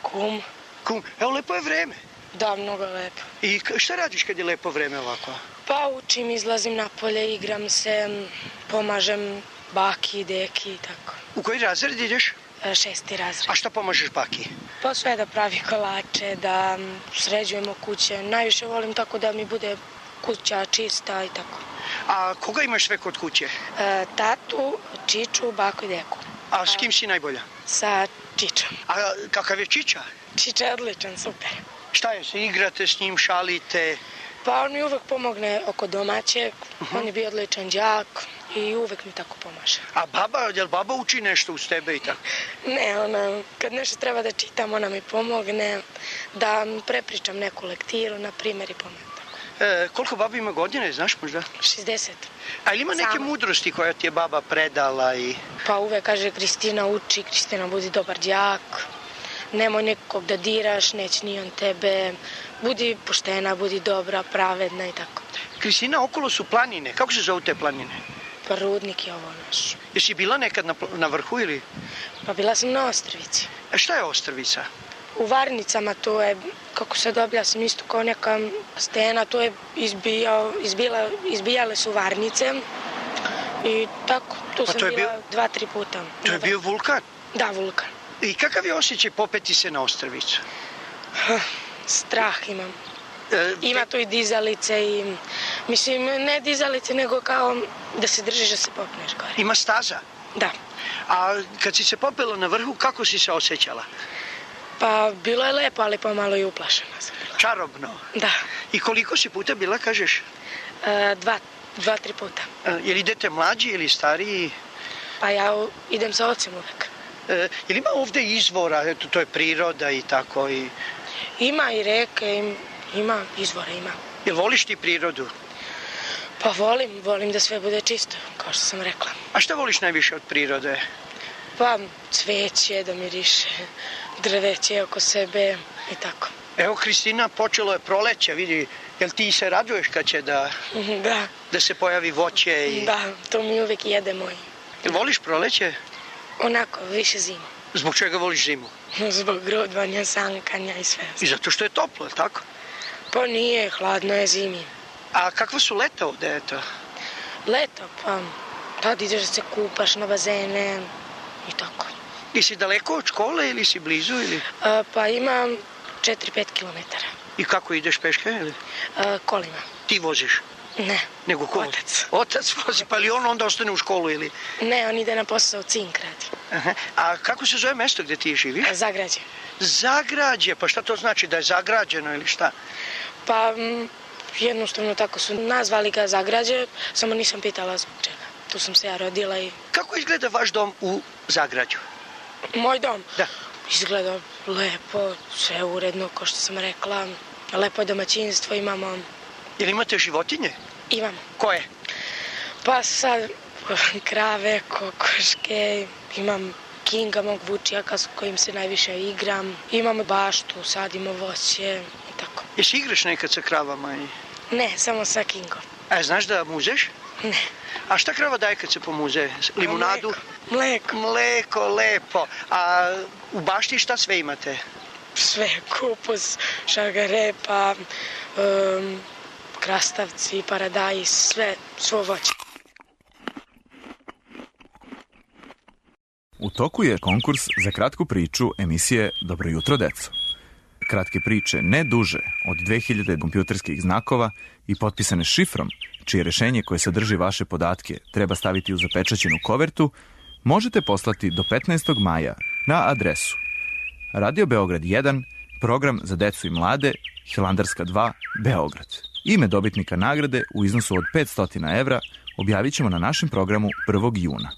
Kum. Kum. Evo, lepo je vreme. Da, mnogo lepo. I šta radiš kad je lepo vreme ovako? Pa učim, izlazim napolje, igram se, pomažem baki, deki i tako. U koji razred ideš? Šesti razred. A šta pomažeš baki? Pa sve da pravi kolače, da sređujemo kuće. Najviše volim tako da mi bude kuća čista i tako. A koga imaš sve kod kuće? E, tatu, Čiču, baku i deku. A s kim si najbolja? Sa Čičom. A kakav je Čiča? Čiča je odličan, super. Šta je, se igrate s njim, šalite? Pa on mi uvek pomogne oko domaćeg, uh-huh. On je bio odličan đak i uvek mi tako pomaže. A baba, jel baba uči nešto uz tebe i tako? Ne, ona, kad nešto treba da čitam, ona mi pomogne, da prepričam neku lektiru, na primjer, i pomogne. E, koliko baba ima godine, znaš možda? šezdeset. A ili ima neke Sama. Mudrosti koja ti je baba predala i... Pa uvek kaže, Kristina uči, Kristina budi dobar đak, nemoj nekog da diraš, neće ni on tebe, budi poštena, budi dobra, pravedna i tako. Kristina, okolo su planine, kako se zovu te planine? Pa Rudnik je ovo naš. Jesi bila nekad na, na vrhu ili? Pa bila sam na Ostrvici. A šta je Ostrvica? U Varnicama to je, kako se dobila sam isto kao neka stena, to je izbijao, izbila, izbijale su varnice i tako, tu pa sam bila bio, dva, tri puta. To je bio vulkan? Da, vulkan. I kakav je osjećaj popeti se na Ostrvicu? Strah imam. E, Ima tu i dizalice i, mislim, ne dizalice, nego kao da se držiš da se popneš gore. Ima staza? Da. A kad si se popela na vrhu, kako si se osjećala? Pa bilo je lepo, ali pomalo i uplašena sam bila. Čarobno? Da. I koliko si puta bila, kažeš? E, dva, dva, tri puta. E, jel idete mlađi ili stariji? Pa ja idem sa ocem uvek. E, jel ima ovde izvora, eto, to je priroda i tako i... Ima i reke, ima izvora, ima. Jel voliš ti prirodu? Pa volim, volim da sve bude čisto, kao što sam rekla. A šta voliš najviše od prirode? Pa cveće da miriše, drveće oko sebe i tako. Evo, Kristina, počelo je proleće, vidi, jel ti se raduješ kad će da... Da. Da se pojavi voće i... Da, to mi uvek jedemo. Jel voliš proleće? Onako, više zimu. Zbog čega voliš zimu? Zbog grudvanja, sankanja i sve. I zato što je toplo, tako? Pa nije, hladno je zimi. A kakva su leta ovde, eto? Leto, pa tad ideš da se kupaš na bazene i tako. I si daleko od škole ili si blizu ili? A, pa imam četiri pet kilometara. I kako ideš peške ili? A, kolima. Ti voziš? Ne. Nego ko? Otac. Otac vozi, pa li on onda ostane u školu ili? Ne, on ide na posao, cink radi. Aha. A kako se zove mesto gde ti živiš? Zagrađe. Zagrađe, pa šta to znači, da je zagrađeno ili šta? Pa m, jednostavno tako su nazvali ga Zagrađe, samo nisam pitala zbog čega. Tu sam se ja rodila i... Kako izgleda vaš dom u Zagrađu? Moj dom? Da. Izgleda lepo, sve uredno, kao što sam rekla. Lepo je domaćinstvo, imamo... Jel imate životinje? Imamo. Koje? Pa sad krave, kokoške, imam Kinga, mog vučijaka s kojim se najviše igram. Imamo baštu, sadimo voće i tako. Jesi igraš nekad sa kravama? I... Ne, samo sa Kingom. A znaš da muzeš? Ne. A šta krava daje kad se pomuze? Limunadu? Mleko. Mleko, lepo. A u bašti šta sve imate? Sve, kupus, šargarepa, um, krastavci, paradajz, sve, svo voće. U toku je konkurs za kratku priču emisije Dobro jutro, deco. Kratke priče ne duže od dve hiljade kompjuterskih znakova i potpisane šifrom, čije rešenje koje sadrži vaše podatke treba staviti u zapečaćenu kovertu, možete poslati do petnaestog maja na adresu Radio Beograd jedan, program za decu i mlade, Hilandarska dva, Beograd. Ime dobitnika nagrade u iznosu od petsto evra objavit ćemo na našem programu prvog juna.